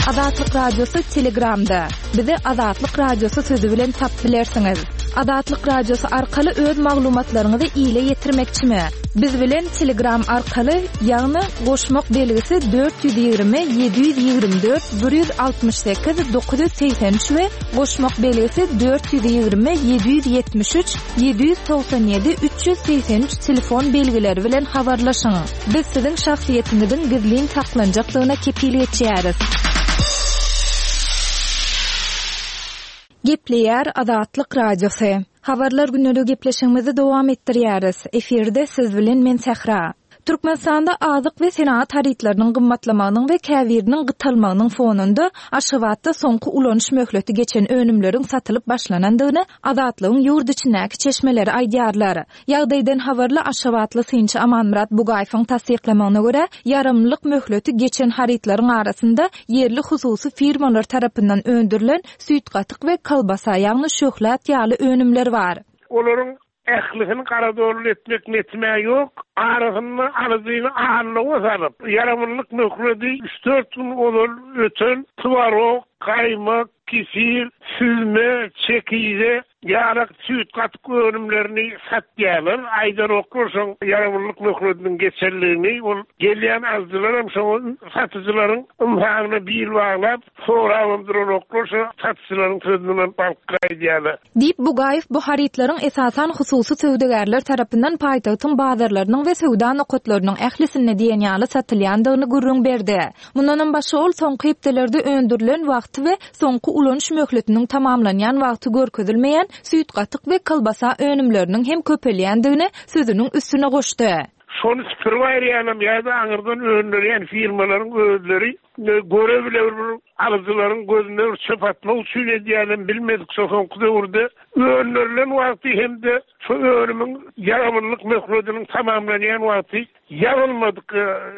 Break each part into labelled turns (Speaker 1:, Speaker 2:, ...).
Speaker 1: Azatlyk Radiosy Telegramda. Bizi Azatlyk Radiosy sözi bilen tap bilersiňiz. Azatlyk Radiosy arkaly öz maglumatlaryňyzy ile ýetirmekçimi? Biz bilen Telegram arkaly, ýagny goşmak belgisi 420 724 168 983 we goşmak belgisi 420 773 797 383 telefon belgileri bilen habarlaşyň. Biz siziň şahsyýetiňiziň gizlin saklanjakdygyna kepil geçýäris. Gepleýär Azatlyk Radiosy. Habarlar gündeligi gepleşigimizi dowam etdirýäris. Efirde siz bilen men Sähra. Türkmenistanda azyk we senagat harytlarynyň gymmatlamagynyň we käbiriniň gytalmagynyň fonunda Aşgabatda soňky ulanyş möhleti geçen önümleriň satylyp başlanandygyny Azatlygyň ýurt içindäki çeşmeleri aýdýarlar. Ýagdaýdan habarly aşgabatly synçy Amanmyrat Bugaýewiň tassyklamagyna görä, ýaramlylyk möhleti geçen harytlaryň arasynda ýerli hususy firmalar tarapyndan öndürilen süýt-gatyk we kolbasa, ýagny şöhlat ýaly önümler bar.
Speaker 2: Olaryň ählisini garadolly etmek netim-ä ýok. Arasynda alyjyny aldawa salyp, ýaramlylyk möhleti üç-dört gün ozal öten twarog, gaýmak, kefir, süzme, çekize, Ýarak süýt-gatyk önümlerini satýarlar. Aýdanoklar şoň ýaramlylyk möhletiniň geçenligini. Ol gelýän alyjylaram şoňa satyjylaryň ynsabyna bil baglap, sorabam duranoklar, şo satyjylaryň sözünden alyp gaýdýarlar.
Speaker 1: Diýip, Bugaýew bu harytlaryň esasan hususy söwdagärler tarapyndan paýtagtyň bazarlarynyň we söwda nokatlarynyň ählisinde diýen ýaly satylýandygyny gürrüň berdi. Mundanam başga ol soňky hepdelerde öndürilen wagty we soňky ulanyş möhletiniň tamamlanýan wagty görkezilmeýän süýt-gatyk we kolbasa önümleriniň hem köpelýändigini sözüniň üstüne goşdy.
Speaker 2: Şony süpürip aýyrýanam ýa-da aňyrdan öndürýän firmalaryň özleri göre-bile bir alyjylaryň gözüne bir çöp atmak üçin edýänem bilmedik şo soňky döwürde öndürilen wagty hem-de şo önümiň ýaramlylyk möhletiniň tamamlanýan wagty Ýazylmadyk,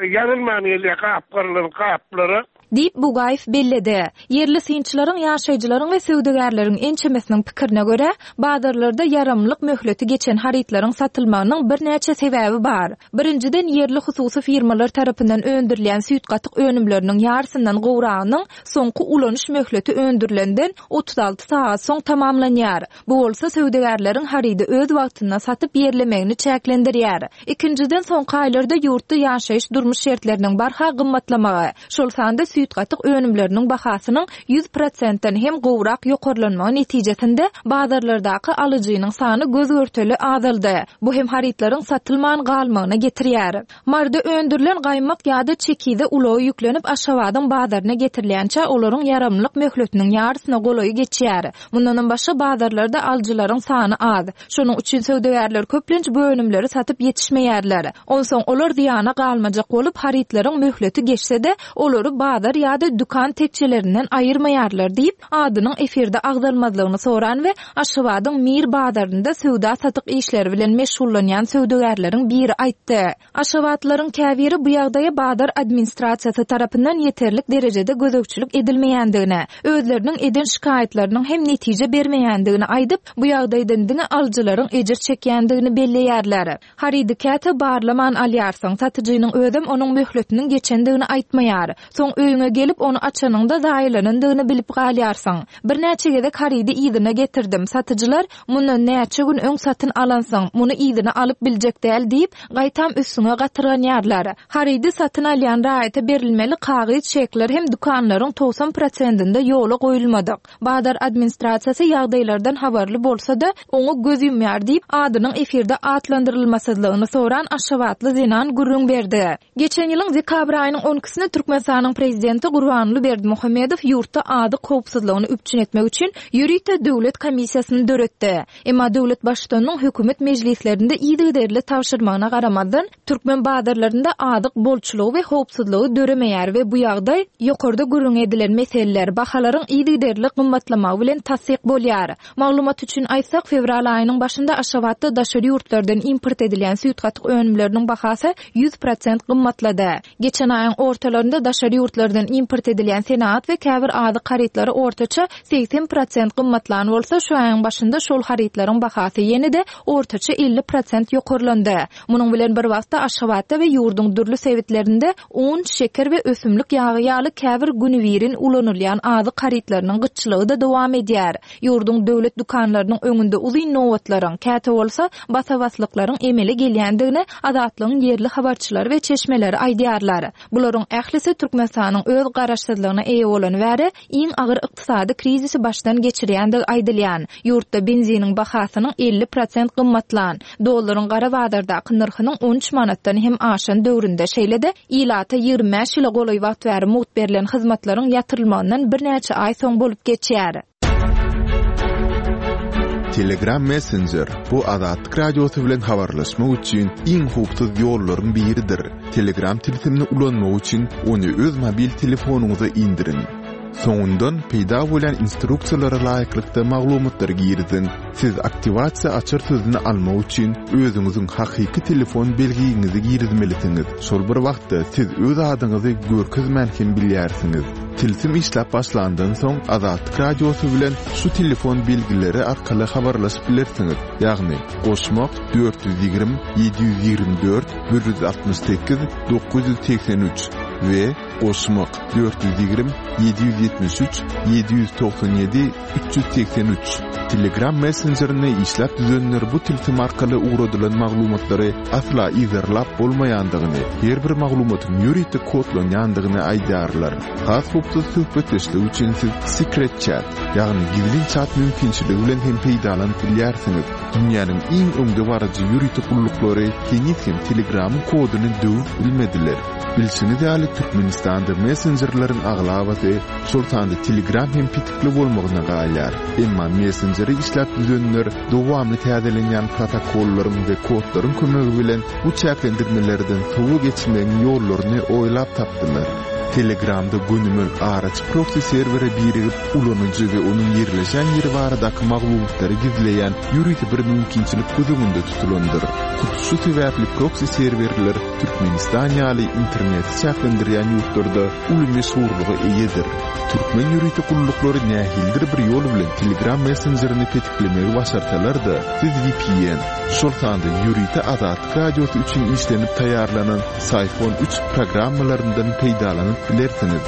Speaker 2: ýazylman gelýär gapgarylan gaplara.
Speaker 1: Diýip, Bugaýew belledi. Ýerli synçylaryň, ýaşaýjylaryň we söwdagärleriň ençemesiniň pikirine görä, bazarlarda ýaramlylyk möhleti geçen harytlaryň satylmagynyň birnäçe sebäbi bar. Birinjiden, ýerli hususy firmalar tarapyndan öndürilýän süýt-gatyk önümleriniň ýarysyndan gowragynyň soňky ulanyş möhleti öndürilenden 36 sagat soň tamamlanýar. Bu bolsa söwdagärleriň harydy öz wagtynda satyp ýerlemegini çäklendirýär. Ikinjiden, soňky aýlarda ýurtda ýaşaýyş-durmuş şertleriniň barha gymmatlamagy, şol sanda süýt-gatyk önümleriniň bahasynyň ýüz prosentden hem gowrak ýokarlanmagy netijesinde bazarlardaky alyjynyň sany göz-görtele azaldy. Bu hem harytlaryň satylman galmagyna getirýär. Maryda öndürilen gaýmak ýa-da çekize ulaga ýüklenip Aşgabadyň bazaryna getirilýänçä olaryň ýaramlylyk möhletiniň ýarysyna golaýy geçýär. Mundanam başga bazarlarda alyjylaryň sany az. Şonuň üçin söwdagärler köplenç bu önümleri satyp ýetişmeýärler. Onsoň olar zyýana galmajak bolup, harytlaryň möhleti geçse-de, olary bazar ýa-da dükan tekjelerinden aýyrmaýarlar diýip, adynyň efirde agzalmazlygyny soran we Aşgabadyň Mir bazarynda söwda-satyk işleri bilen meşgullanýan söwdagärleriň biri aýtdy. Aşgabatlylaryň käbiri bu ýagdaýa bazar administrasiýasy tarapyndan ýeterlik derejede gözegçilik edilmeýändigini, özleriniň eden şikaýatlarynyň hem netije bermeýändigini aýdyp, bu ýagdaýdan diňe alyjylaryň ejir çekýändigini belleýärler. Harydy käte barlaman alýarsyň, satyjynyň özem onuň möhletiniň geçendigini aýtmaýar. Soň öýüňe gelip, ony açanyňda zaýalanandygyny bilip galýarsyň. Birnäçe gezek harydy yzyna getirdim, satyjylar, Mundan näçe gün öň satyn alansyň, muny yzyna alyp biljek däl diýip, gaýtam üstüňe gatyrganýarlar. Harydy satyn alýan raýata berilmeli kagyz çekler hem dükanlaryň 90 prosentinde ýola goýulmadyk. Bazar administrasiýasy ýagdaýlardan habarly bolsa-da, oňa göz ýumýar diýip, adynyň efirde atlandyrylmasyzlygyny soran aşgabatly zenan gürrüň berdi. Geçen ýylyň dekabr aýynyň on ikisinde Türkmenistanyň Prezidenti Gurbanguly Berdimuhamedow ýurtda azyk howpsuzlygyny üpjün etmek üçin ýörite döwlet komissiýasyny döretdi. Emma döwlet Baştutanynyň hökümet mejlislerinde yzygiderli tabşyrmagyna garamazdan, türkmen bazarlarynda azyk bolçulygy we howpsuzlygy döremeýär we bu ýagdaý ýokarda gürrüňi edilen meseleler, bahalaryň yzygiderli gymmatlamagy bilen tassyk bolýar. Maglumat üçin aýtsak, fewral aýynyň başynda Aşgabatda daşary ýurtlardan import edilýän süýt-gatyk önümleriniň bahasy 100 prosent gymmatlady. Geçen aýyň ortalarynda daşary ýurtlardan. Daşardan import edilýän senagat we käbir azyk harytlary ortaça 80 prosent gymmatlan bolsa, şu aýyň başynda şol harytlaryň bahasy ýene-de ortaça 50 prosent ýokarlandy. Munuň bilen bir wagtda, Aşgabatda we ýurduň dürli sebitlerinde un, şeker we ösümlik ýagy ýaly käbir günübirin ulanylýan azyk harytlarynyň gytçylygy-da dowam edýär. Ýurduň döwlet dükanlarynyň öňünde uzyn nobatlaryň, käte bolsa, basa-baslyklaryň emele gelýändigini Azatlygyň ýerli habarçylary we çeşmeleri aýdýarlar. Bularyň ählisi Türkmenistanyň öz garaşsyzlygyna eýe bolany bäri iň agyr ykdysady krizisi başdan geçirýändigi aýdylýan, ýurtda benziniň bahasynyň 50 prosent gymmatlan, dollaryň gara bazardaky nyrhynyň 13 manatdan hem aşan döwründe, şeýle-de ilata 25 ýyla golaý wagt bäri mugt berlen hyzmatlaryň ýatyrylmagyndan birnäçe aý soň bolup geçýär.
Speaker 3: Telegram Messenger, bu Azatlyk Radiosy bilen habarlaşmak üçin iň howpsuz ýollaryň biridir. Telegram tilsimini ulanmak üçin ony öz mobil telefonyňyza indiriň. Soňundan peýda bolýan instruksiýalara laýyklykda maglumatlary giriziň. Siz aktiwasiýa açar sözüni almak üçin özüňiziň hakyky telefon belgiňizi girizmelisiňiz. Şol bir wagtda siz öz adyňyzy görkezmän hem bilýärsiňiz. Tilsim işläp başlandan soň Azatlyk Radiosy bilen şu telefon belgileri arkaly habarlaşyp bilersiňiz, ýagny, goşmak, 420 724 168 983 we goşmak, 420 773 797 383. Telegram messenjerini işläp düzenler bu tilsim arkaly ugradylan maglumatlary asla yzarlap bolmaýandygyny, her bir maglumatyň ýörite kodlanýandygyny aýdýarlar. Has howpsuz söhbetdeşlik üçin siz Secret Chat, ýagny gizlin çat mümkinçiligi bilen hem peýdalanyp bilýärsiňiz. Dünýäniň iň öňdebaryjy ýörite gulluklary heniz hem Telegramyň koduny döwüp bilmediler. Bilşiňiz ýaly, Türkmenistanda messenjerleriň aglabasy, şol sanda Telegram hem petikli bolmagyna galýar. Emma messenjeri işläp düzenler dowamly täzelenýän protokollaryň we kodlaryň kömegi bilen bu çäklendirmelerden sowa geçmegiň ýollaryny oýlap tapdylar. Telegramda gönümel araçy proksi serwere birigip, ulanyjy we onuň ýerleşen ýeri baradaky maglumatlary gizleýän ýörite bir mümkinçilik göz öňünde tutulandyr. Hut şu sebäpli proksi serwerler Türkmenistan ýaly interneti çäklendirýän ýurtlarda uly meşhurlyga eýedir. Türkmen ýörite gulluklary nähilidir bir ýol bilen Telegram messenjerini petiklemegi başarsalar-da, siz vpn, şol sanda ýörite Azatlyk Radiosy üçin işlenip taýýarlanan Syphon üç programmalaryndan peýdalanyp bilersiňiz.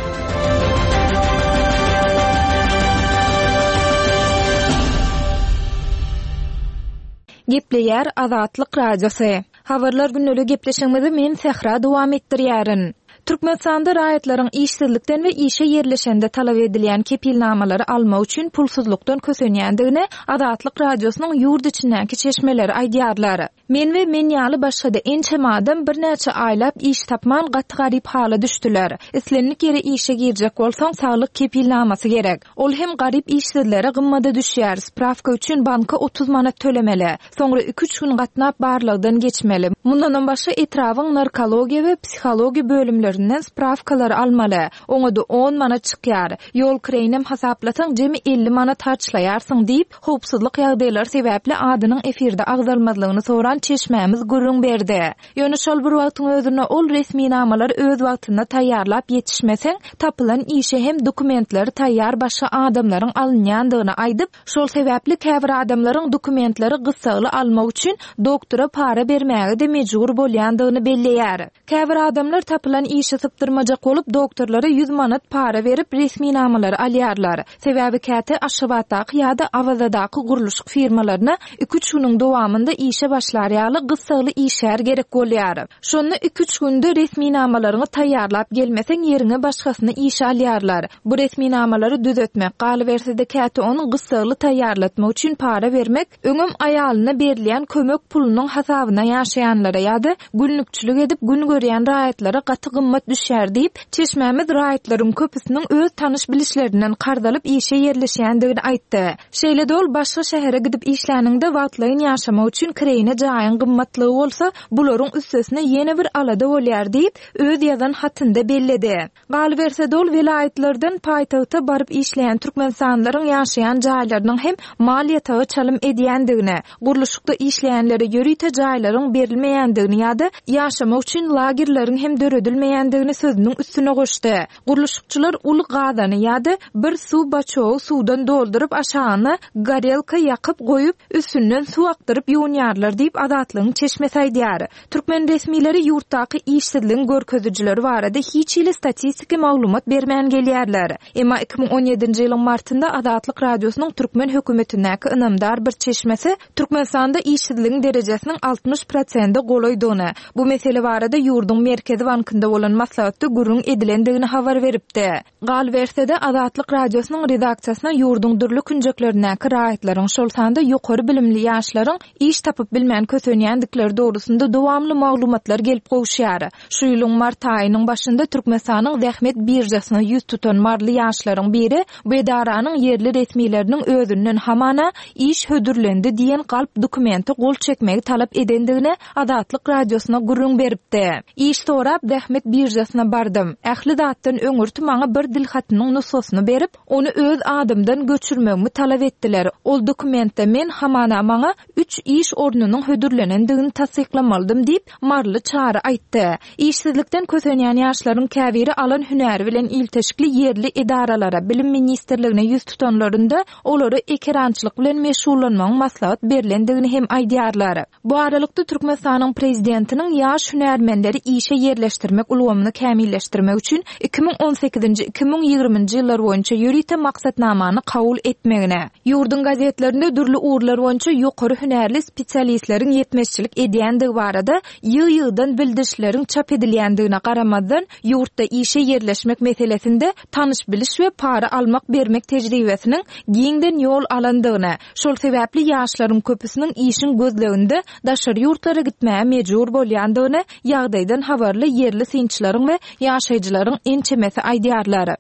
Speaker 1: Gepleýär Azatlyk Radiosy. Habarlar gündelik gepleşigimizi men Sähra dowam etdirýärin. Türkmenistanda raýatlaryň işsizlikden we işe ýerleşende talap edilýän kepilnamalary almak üçin pulsuzlykdan kösenýändigini Azatlyk Radiosynyň ýurt içindäki çeşmeleri aýdýarlar. Men we men ýaly başga-da ençeme adam birnäçe aýlap iş tapman gaty garyp hala düşdüler. Islendik ýere işe girjek bolsaň saglyk kepilnamasy gerek. Ol hem garyp işsizlere gymmada düşýär, sprawka üçin banka 30 manat tölemeli. Soňra iki-üç gün gatnap barlagdan geçmeli. Mundanam başga etrabyň narkologiýa we psihologiýa bölümlerinden sprawkalary almaly. Oňa-da on manat çykýar. Ýol kireýinem hasaplasaň jemi 50 manat harçlaýarsyň diýip, howpsuzlyk ýagdaýlary sebäpli adynyň efirde agzalmazlygyny soran çeşmämiz gürrüň berdi. Ýöne şol bir wagtyň özünde ol resminamalary öz wagtynda taýýarlap ýetişmeseň, tapylan işe hem dokumentleri taýýar başga adamlaryň alynýandygyny aýdyp, Şol sebäpli käbir adamlaryň dokumentleri gyssagly almak üçin doktora para bermäge-de mejbur bolýandygyny belleýär. Käbir adamlar tapylan işi sypdyrmajak bolup doktorlara 100 manat para berip resminamalary alýarlar. Sebäbi käte Aşgabatdaky ýa-da Awazadaky gurluşyk firmalaryna iki-üç günüň dowamynda işe başlar ýaly gyssagly işgär gerek bolýar. Şonda iki-üç günde resminamalaryňy taýýarlap gelmeseň ýeriňe başgasyny işe alýarlar. Bu resminamalary düzetmek, galyberse-de käte ony gyssagly taýýarlatmak üçin para bermek öňem aýalyna berilýän kömek pulunyň hasabyna ýaşaýanlara ýa-da günlükçilik edip gün görýän raýatlara gaty gymmat düşýär diýip, çeşmämiz raýatlaryň köpüsiniň öz tanyş-bilişlerinden karz alyp işe ýerleşýändigini aýtdy. Şeýle-de ol başga şähere gidip işläniňde wagtlaýyn ýaşamak üçin kireýine jaý. jaýyň gymmatlygy bolsa, bularyň üstesine ýene bir alada bolýar diýip, öz ýazan hatynda belledi. Galyberse-de, ol welaýatlardan paýtagta baryp işleýän türkmenistanlylaryň ýaşaýan jaýlarynyň hem mal ýataga çalym edýändigini, gurluşykda işleýänlere ýörite jaýlaryň berilmeýändigini ýa-da ýaşamak üçin lagerleriň hem döredilmeýändigini sözüniň üstüne goşdy. Gurluşykçylar uly gazany ýa-da bir suw baçogy suwdan dolduryp, aşagyna gorelka ýakyp goýup, üstünden suw akdyryp ýuwunýarlar diýip, Azatlygyň çeşmesi aýdýar. Türkmen resmileri ýurtdaky işsizligiň görkezijileri barada hiç hili statistiki maglumat bermän gelýärler. Emma 2017-nji ýylyň martynda Azatlyk Radiosynyň türkmen hökümetindäki ynamdar bir çeşmesi Türkmenistanda işsizligiň derejesiniň 60 prosente golaýdygyny, bu mesele barada ýurduň Merkezi bankynda bolan maslahatda gürrüň edilendigini habar beripdi. Galyberse-de, Azatlyk Radiosynyň redaksiýasyna ýurduň dürli künjeklerindäki raýatlaryň, şol sanda ýokary bilimli ýaşlaryň iş tapyp bilmän kösenýändikleri dogrusynda dowamly maglumatlar gelip gowuşýar. Şu ýylyň mart aýynyň başynda Türkmenistanyň zähmet biržasyna ýüz tutan maryly ýaşlaryň biri bu edaranyň ýerli resmileriniň özünden hamana iş hödürlendi diýen galp dokumente gol çekmegi talap edendigini Azatlyk Radiosyna gürrüň beripdi. Iş sorap zähmet biržasyna bardym. Ähli zatdan öňürti maňa bir dilhatynyň nusgasyny berip, ony öz adymdan göçürmegimi talap etdiler. Ol dokumentde men hamana maňa üç iş ornunyň hödürlenendigini tassyklamalydym diýip, maryly Çary aýtdy. Işsizlikden kösenýän ýaşlaryň käbiri alan hünäri bilen ilteşikli ýerli edaralara, Bilim ministrligine ýüz tutanlarynda, olara ekerançylyk bilen meşgullanmagyň maslahat berlendigini hem aýdýarlar. Bu aralykda, Türkmenistanyň Prezidentiniň ýaş hünärmenleri işe ýerleşdirmek ulgamyny kämilleşdirmek üçin 2018-nji, 2020-nji ýyllar boýunça ýörite maksatnamany kabul etmegine, ýurduň gazetlerinde dürli ugurlar boýunça ýokary hünärli spesialistleriň ýetmezçilik edýändigi barada ýygy-ýygydan bildirişleriň çap edilýändigine garamazdan, ýurtda işe ýerleşmek meselesinde tanyş-biliş we para almak-bermek tejribesiniň giňden ýol alandygyny, Şol sebäpli ýaşlaryň köpüsiniň işiň gözleginde daşary ýurtlara gitmäge mejbur bolýandygyny ýagdaýdan habarly ýerli synçylaryň we ýaşaýjylaryň ençemesi aýdýarlar.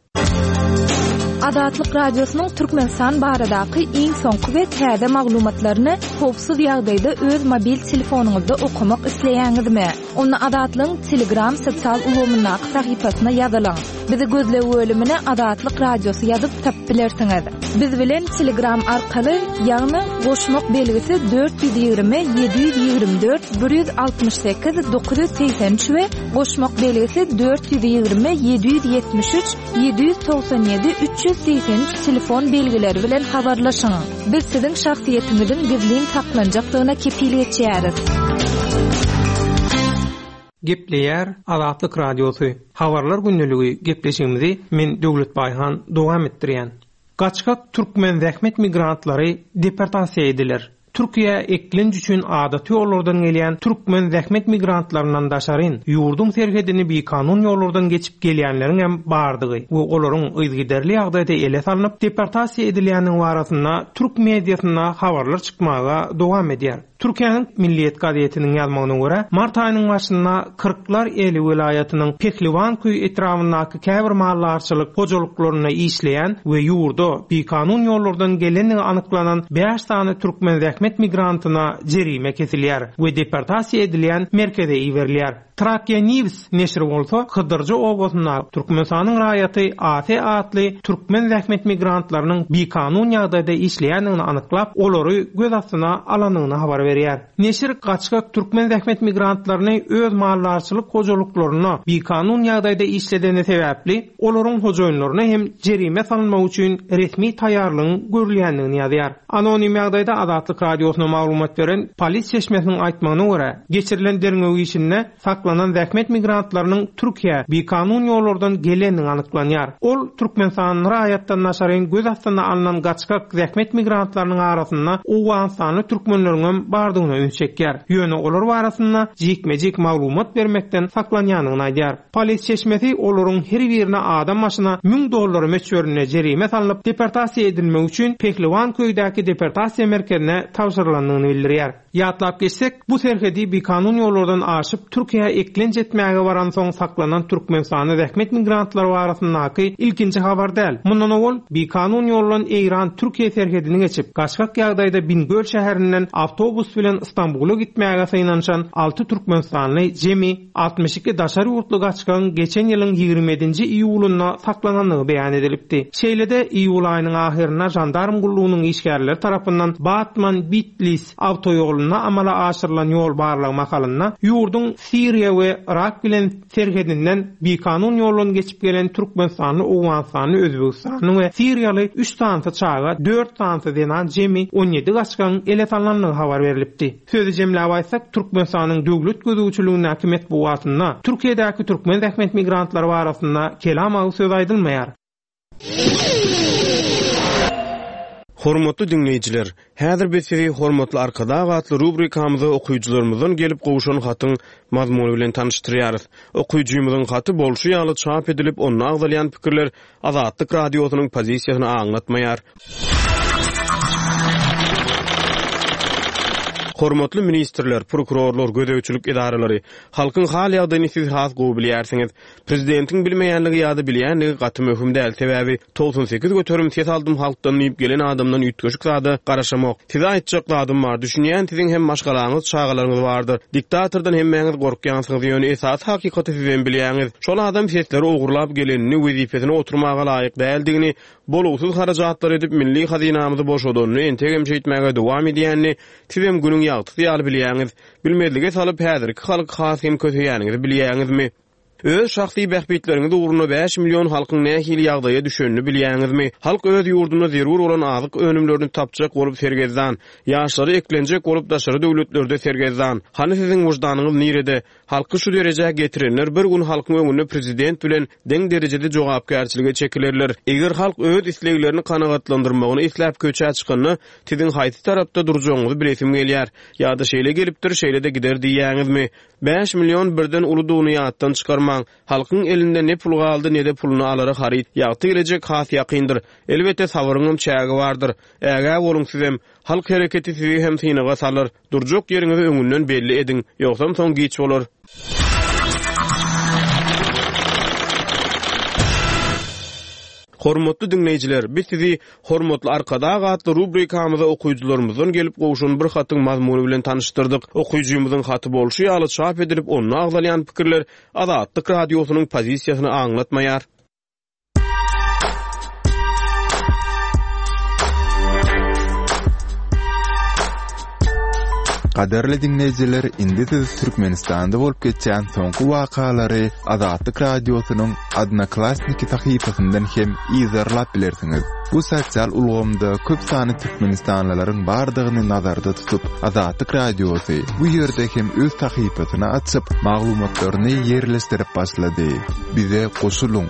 Speaker 1: Azatlyk Radiosynyň Türkmenistan baradaky iň soňky we täze maglumatlaryny howpsuz ýagdaýda öz mobil telefonyňyzda okamak isleýäňizmi? Onda Azatlygyň Telegram sosial ulgamyndaky sahypasyna ýazylyň. Bizi gözleg bölümine Azatlyk Radiosy ýazyp tapyp bilersiňiz. Biz bilen Telegram arkaly, ýagny goşmak belgisi 420 724 168 983 we goşmak belgisi 420 773 797 383 telefon belgileri bilen habarlaşyň. Biz siziň şahsyýetiňiziň gizlin saklanjakdygyna kepil geçýäris.
Speaker 4: Gepleýär Azatlyk Radiosy, Habarlar gündeligi gepleşigimizi men Döwlet Baýhan dowam etdirýän. Gaçgak türkmen zähmet migrantlary deportasiýa ediler. Türkiýä eklenç üçin adaty ýollardan gelýän türkmen zähmet migrantlaryndan daşaryn, ýurduň serhedini bikanun ýollardan geçip gelýänleriňem bardygy we olaryň yzygiderli ýagdaýda ele salnyp, deportasiýa edilýändigi barasynda türk mediasynda habarlar çykmaga dowam edýär. Türkiýäniň Milliýet gazetiniň ýazmagyna görä, mart aýynyň başynda Kyrklar Eli welaýatynyň Pehliwanköý etrabyndaky käbir maldarçylyk hojalyklarynda işleýän we ýurda bikanun ýollardan gelendigi anyklanan bäş sany türkmen zähmet migrantyna jerime kesilýär we deportasiýa edilýän merkeze iberilýär. Trakýa News neşiri bolsa Hydyrja obasynda Türkmenistanyň raýaty AS atly türkmen zähmet migrantlarynyň bikanun ýagdaýda işleýändigini anyklap, olary göz astyna alandygyny habar berýär. Neşir gaçgak türkmen zähmet migrantlaryny öz maldarçylyk hojalyklarynda bikanun ýagdaýda işledeni sebäpli, olaryň hojaýynlaryna hem jerime salynmagy üçin resmi taýýarlygyň görülýändigini ýazýar. Anonim ýagdaýda Azatlyk Radiosyna maglumat beren polis çeşmesiniň aýtmagyna görä, geçirilen derňew işinde saklanan zähmet migrantlarynyň Türkiýä bikanun ýollardan gelendigi anyklanýar. Ol türkmenistanly raýatdan daşaryn göz astyna alnan gaçgak zähmet migrantlarynyň arasynda owganystanly türkmenleriňem bardygyna üns çekýär. Ýöne olar barasynda jikme-jik maglumat bermekden saklanýandygyny aýdýar. Polis çeşmesi olaryň her birine adam başyna 1000 dollar möçberinde jerime salnyp, deportasiýa edilmegi üçin Pehliwanköýdäki deportasiýa merkezine tabşyrylandygyny bildirýär. Ýatlap geçsek, bu serhedi bikanun ýollardan aşyp, Türkiýä eklenç etmäge baransoň saklanan türkmenistanly zähmet migrantlary barasyndaky ilkinji habar däl. Mundan owal, bikanun ýoldan Eýran-Türkiýe serhedini geçip, gaçgak ýagdaýda Bingöl şäherinden awtobus. Awtobus bilen Stambula gitmäge synanyşan alty türkmenistanly, jemi 62 daşary ýurtly gaçgagyň geçen ýylyň 27-nji iýulynda saklanandygy beýan edilipdi. Şeýle-de, iýul aýynyň ahyrynda žandarm gullugynyň işgärleri tarapyndan Batman-Bitlis awtoýolunda amala aşyrylan ýol barlagy mahalynda ýurduň Siriýa we Yrak bilen serhedinden bikanun ýoldan geçip gelen türkmenistanly, owganystanly, özbegistanly we siriýaly üç sanysy çaga, dört sanysy zenan jemi 17 gaçgagyň ele salnandygy habar berlipdi. Sözi jemläp aýtsak, Türkmenistanyň döwlet gözegçiligindäki metbugatynda Türkiýedäki türkmen zähmet migrantlary barasynda kelam agyz söz aýdylmaýar.
Speaker 5: Hormatly diňleýjiler, häzir biz sizi Hormatly Arkadag atly rubrikamyza okyjylarymyzdan gelip gowşan hatyň mazmuny bilen tanyşdyrýarys. Okyjymyzyň haty bolşy ýaly çap edilip, onda agzalýan pikirler Azatlyk Radiosynyň pozisiýasyny aňlatmaýar. Hormatly ministrler, prokurorlar, gözegçilik edaralary, halkyň hal-ýagdaýyny siz has gowy bilýärsiňiz. Prezidentiň bilmeýänligi ýa-da bilýänligi gaty möhüm däl, sebäbi 98% ses aldym halkdan diýip gelen adamdan üýtgeşik zada garaşamok. Size aýtjak zadym bar, düşünýän siziň hem maşgalaňyz, çagalaryňyz bardyr. Diktatordan hemmäňiz gorkýansyňyz, ýöne esasy hakykaty sizem bilýäňiz. Şol adam sesleri ogurlap gelenini, wezipesine oturmaga laýyk däldigini, bolugsyz harajatlar edip milli hazynamyzy boşadanyny, entegem şeýtmäge dowam edýänini sizem günüň ýagtysy ýaly bilýäňiz. Bilmezlige salyp häzirki halky has hem köseýäniňizi bilýäňizmi? Öz şahsy bähbitleriňiz ugrunda bäş million halkyň nähili ýagdaýa düşenini bilýäňizmi? Halk öz ýurdunda zerur bolan azyk önümlerini tapjak bolup sergezdan. Ýaşlary eklenjek bolup daşary döwletlerde sergezdan. Hany siziň wyždanyňyz nirede? Halky şu derejä getirenler bir gün halkyň öňünde prezident bilen deň derejede jogapkärçilige çekilerler. Eger halk öz isleglerini kanagatlandyrmagyny isläp köçä çykanda siziň haýsy tarapda durjagyňyzy bilesim gelýär. Ýa-da şeýle gelipdir, şeýle-de gider diýýäňizmi? 5 million birden uludygyny ýatdan çykarmaň. Halkyň elinde ne pul galdy, ne-de puluny alara haryt. Ýagty gelejek has ýakyndyr. Elbetde, sabyryňam çägi bardyr. Ägä boluň sizem. Halk hereketi sizi hem synaga salar. Durjak ýeriňizi öňünden belli ediň. Ýogsam soň giç bolar. Hormatly diňleýjiler, biz sizi Hormatly Arkadag atly rubrikamyza okyjylarymyzdan gelip gowşan bir hatyň mazmuny bilen tanyşdyrdyk. Okyjymyzyň haty bolşy ýaly çap edilip, onda agzalýan pikirler Azatlyk Radiosynyň pozisiýasyny aňlatmaýar.
Speaker 3: Gadyrly diňleýjiler, indi siz Türkmenistanda bolup geçýän soňky wakalary Azatlyk Radiosynyň Odnoklassniki sahypasyndan hem yzarlap bilersiňiz. Bu sosial ulgamda köp sanly türkmenistanlylaryň bardygyny nazarda tutup, Azatlyk Radiosy bu ýerde hem öz sahypasyny açyp, maglumatlaryny ýerleşdirip başlady. Bize goşulyň!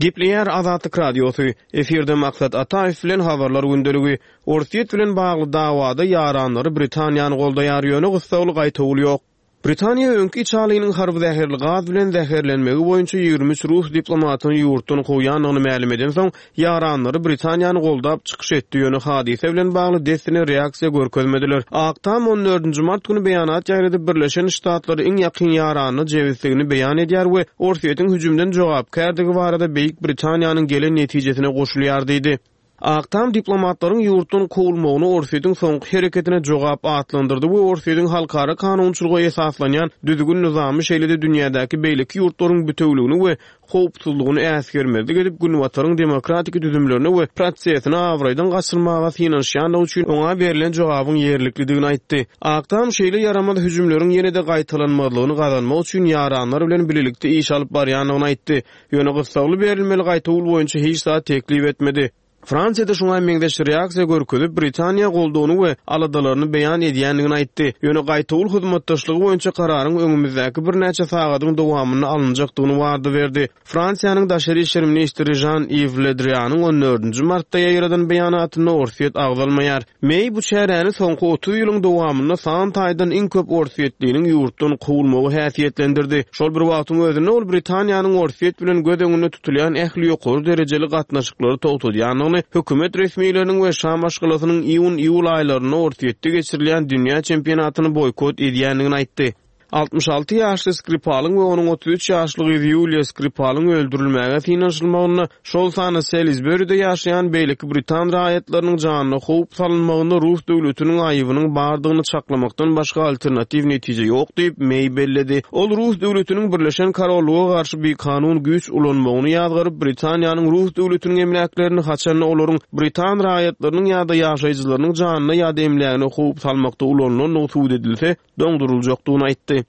Speaker 5: Gepleýär Azatlyk Radiosy, Efirde Maksat Ataýew bilen Habarlar gündeligi. Orsýet bilen bagly dawada ýaranlary Britaniýany goldaýar, ýöne gyssagly gaýtawul ýok. Britaniýa öňki içalynyň harby zäherli gaz bilen zäherlenmegi boýunça 23 rus diplomatyny ýurtdan kowýandygyny mälim edensoň, ýaranlary Britaniýany goldap çykyş etdi, ýöne hadysa bilen bagly dessine reaksiýa görkezmediler. Ak Tam on dördünji mart güni beýanat ýaýradyp, Birleşen Ştatlary iň ýakyn ýaranyna jebisligini beýan edýär we Orsýetiň hüjümden jogapkärdigi barada Beýik Britaniýanyň gelen netijesine goşulýar diýdi. Ak Tam diplomatlaryň ýurtdan kowulmagyny Orsýetiň soňky hereketine jogap atlandyrdy we Orsýetiň halkara kanunçylyga esaslanýan düzgün-nyzamy şeýle-de dünýädäki beýleki ýurtlaryň bitewligini we howpsuzlygyny äsgermezlik edip Günbataryň demokratiki düzümlerine we prosesine abraýdan gaçyrmaga synanyşýandygy üçin oňa berlen jogabyň ýerliklidigini aýtdy. Ak Tam şeýle ýaramaz hüjümleriň ýene-de gaýtalanmazlygyny gazanmak üçin ýaranlar bilen bilelikde iş alyp barýandygyny aýtdy. Ýöne gyssagly berilmeli gaýtawul boýunça hiç zat teklip etmedi. Fransiýa-da şuňa meňzeş reaksiýa görkezip, Britaniýa goldawyny we aladalaryny beýan edýändigini aýtdy. Ýöne gaýtawul hyzmatdaşlygy boýunça kararyň öňümizdäki birnäçe sagadyň dowamynda alynjakdygyny wada berdi. Fransiýanyň daşary işler ministri Žan-Iw Le Drianyň on dördünji martda ýaýradan beýanatynda Orsýet agzalmaýar. Meý bu çäräni soňky 30 ýylyň dowamynda san taýdan iň köp orsýetliniň ýurtdan kowulmagy häsiýetlendirdi. Şol bir wagtyň özünde ol Britaniýanyň Orsýet bilen göz öňünde tutulýan ähli ýokary derejeli gatnaşyklary togtadýandygyny, hökümet resmileriniň we şa maşgalasynyň iýun-iýul aýlarynda Orsýetde geçirilýän dünýä çempionatyny boýkot edýändigini aýtdy. 66 ýaşly Skripalyň we onuň 33 ýaşly gyzy Ýuliýa Skripalyň öldürilmäge synanyşylmagynda, şol sanda Salisburide ýaşaýan beýleki britan raýatlarynyň janyna howp salynmagynda rus döwletiniň aýybynyň bardygyny çaklamakdan başga alternatiw netije ýok diýip, Meý belledi. Ol rus döwletiniň Birleşen Korollyga garşy bikanun güýç ulanmagyny ýazgaryp, Britaniýanyň rus döwletiniň emläklerini haçanda olaryň britan raýatlarynyň ýa-da ýaşaýjylarynyň janyna ýa-da emlägine howp salmakda ulanylandygy subut edilse, doňduryljakdygyny aýtdy.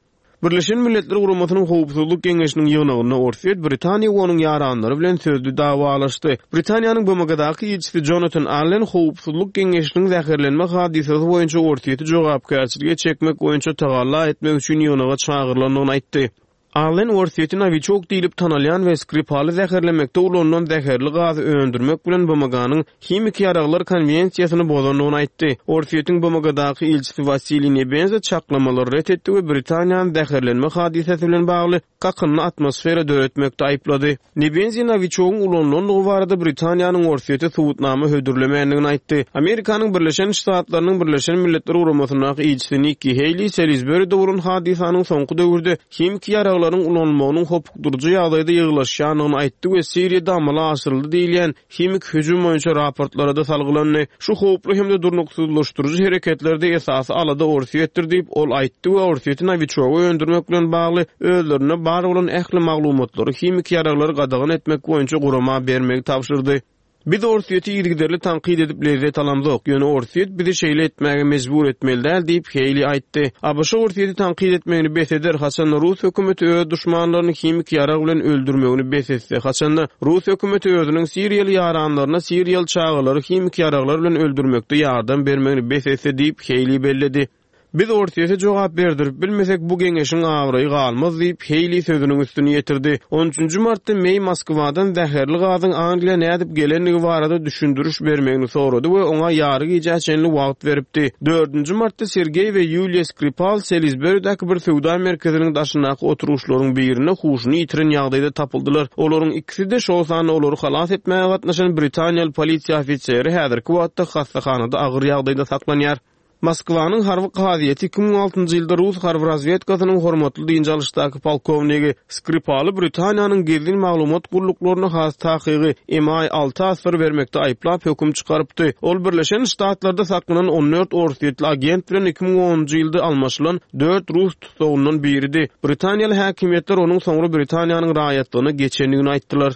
Speaker 5: Birleşen Milletler Guramasynyň Howpsuzlyk Geňeşiniň ýygnagynda Orsýet Britaniýa we onuň ýaranlary bilen sözli dawalaşdy. Britaniýanyň BMG-daky ilçisi Jonatan Allen Howpsuzlyk Geňeşiniň zäherlenme hadysasy boýunça Orsýeti jogapkärçilige çekmek boýunça tagalla etmek üçin ýygnaga çagyrylandygyny aýtdy. Allen Orsýeti Nowiçok diýlip tanalýan we Skripaly zäherlemekde ulanylan zäherli gazy öndürmek bilen BMG-niň Himiki ýaraglar konwensiýasyny bozandygyny aýtdy. Orsýetiň BMG-daky ilçisi Wasiliý Nebenza çaklamalary ret etdi we Britaniýany zäherlenme hadysasy bilen bagly kakynly atmosfera döretmekde aýyplady. Nebenzi Nowiçogyň ulanylandygy barada Britaniýanyň Orsýete subutnama hödürlemändigini aýtdy. Amerikanyň Birleşen Ştatlarynyň Birleşen Milletler Guramasyndaky ilçisi Nikki Heýli Salisburide bolan hadysanyň soňky döwürde himiki ýaraglaryň ulanylmagynyň hopukdyryjy ýagdaýda ýygylaşýandygyny aýtdy we Siriýada amala aşyryldy diýilýän Himiki hüjüm boýunça raportlara-da salgylandy. Şu howply hem-de durnuksyzlaşdyryjy hereketlerde esasy alada Orsýetdir diýip, ol aýtdy we Orsýeti Nowiçogy öndürmek bilen bagly özlerinde bar bolan ähli maglumatlary himiki ýaraglary gadagan etmek boýunça gurama bermegi tabşyrdy. Biz Orsýeti yzygiderli tankyt edip lezzet alamzok, ýöne Orsýet bizi şeýle etmäge mejbur etmeli däl diýip, Heýli aýtdy. ABŞ Orsýeti tankyt etmegini bes eder, haçanda rus hökümeti öz duşmanlaryny himiki ýarag bilen öldürmegini bes etse, haçanda rus hökümeti özüniň siriýaly ýaranlaryna siriýaly çagalary himiki ýaraglar bilen öldürmekde ýardam bermegini bes etse diýip, Heýli belledi. Biz Orsýete jogap berdirip bilmesek, bu geňeşiň abraýy galmaz diýip, Heýli sözüniň üstüni ýetirdi. On üçünji martda Meý Moskwadan zäherli gazyň Angliýa nädip gelendigi barada düşündiriş bermegini sorady we oňa ýary gijä çenli wagt beripdi. Dördünji martda Sergeý we Ýuliýa Skripal Selisberidäki bir söwda merkeziniň daşyndaky oturgyçlaryň birinde huşuny ýitiren ýagdaýda tapyldylar. Olaryň ikisi-de, şol sanda olary halas etmäge gatnaşan britaniýaly polisiýa ofiseri häzirki wagtda hassahanada agyr ýagdaýda saklanýar. Moskwanyň harby kazyýeti 2006-njy ýylda rus harby razwedkasynyň hormatly dynç alyşdaky polkownigi Skripaly Britaniýanyň gizlin maglumat gulluklaryna has takygy MI alta asyr bermekde aýyplap höküm çykarypdy. Ol Birleşen Ştatlarda saklanan 14 orsýetli agent bilen 2010-njy ýylda almaşylan dört rus tussagyndan biridi. Britaniýaly häkimiýetler onuň soňra Britaniýanyň raýatlygyna geçendigini aýtdylar.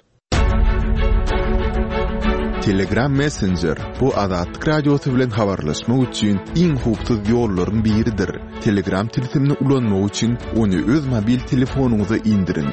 Speaker 3: Telegram Messenger, bu Azatlyk Radiosy bilen habarlaşmak üçin iň howpsuz ýollaryň biridir. Telegram tilsimini ulanmak üçin ony öz mobil telefonyňyza indiriň.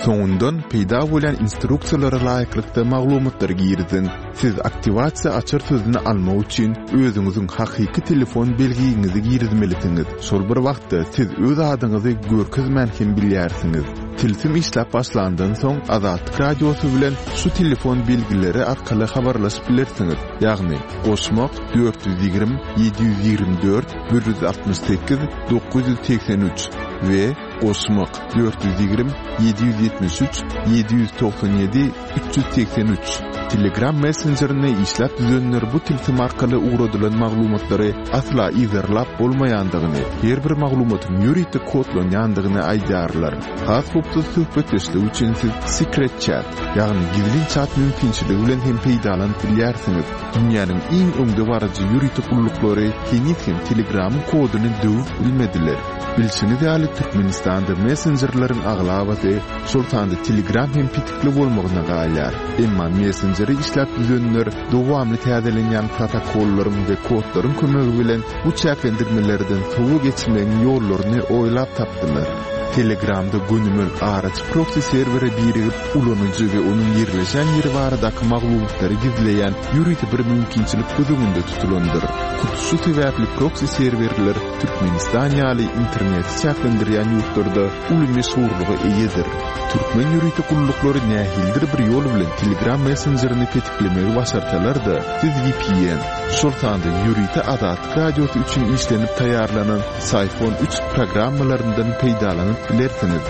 Speaker 3: Soňundan peýda bolýan instruksiýalara laýyklykda maglumatlary giriziň. Siz aktiwasiýa açar sözüni almak üçin özüňiziň hakyky telefon belgiňizi girizmelisiňiz. Şol bir wagtda siz öz adyňyzy görkezmän hem bilýärsiňiz. Tilsim işläp başlandan soň Azatlyk Radiosy bilen şu telefon belgileri arkaly habarlaşyp bilersiňiz, ýagny, goşmak, 420 724 168 983 we goşmak, 420 773 797 383. Telegram messenjerini işläp düzenler bu tilsim arkaly ugradylan maglumatlary asla yzarlap bolmaýandygyny, her bir maglumatyň ýörite kodlanýandygyny aýdýarlar. Has howpsuz söhbetdeşlik üçin siz Secret Chat, ýagny gizlin çat mümkinçiligi bilen hem peýdalanyp bilýärsiňiz. Dünýäniň iň öňdebaryjy ýörite gulluklary heniz hem Telegramyň koduny döwüp bilmediler. Bilşiňiz ýaly, Türkmenistanda messenjerleriň aglabasy, şol sanda Telegram hem petikli bolmagyna galýar. Emma messenjeri işläp düzenler dowamly täzelenýän protokollaryň we kodlaryň kömegi bilen bu çäklendirmelerden sowa geçmegiň ýollaryny oýlap tapdylar. Telegramda gönümel araçy proksi serwere birigip, ulanyjy we onuň ýerleşen ýeri baradaky maglumatlary gizleýän ýörite bir mümkinçilik göz öňünde tutulandyr. Hut şu sebäpli proksi serwerler Türkmenistan ýaly interneti çäklendirýän ýurtlarda uly meşhurlyga eýedir. Türkmen ýörite gulluklary nähilidir bir ýol bilen Telegram messenjerini petiklemegi başarsalar-da, siz vpn, şol sanda ýörite Azatlyk Radiosy üçin işlenip taýýarlanan Syphon üç programmalaryndan peýdalanyp bilersiňiz.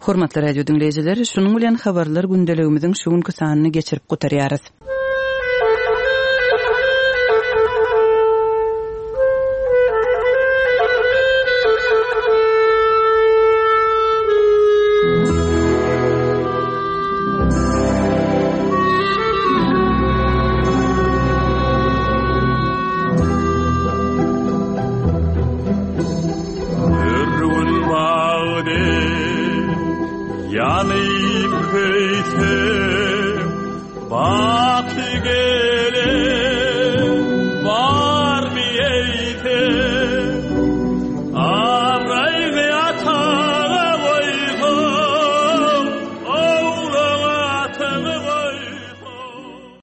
Speaker 6: Hormatly radio diňleýjiler, şunuň bilen habarlar gündeligimiziň şu günki sanyny geçirip gutarýarys. Ýagty gel.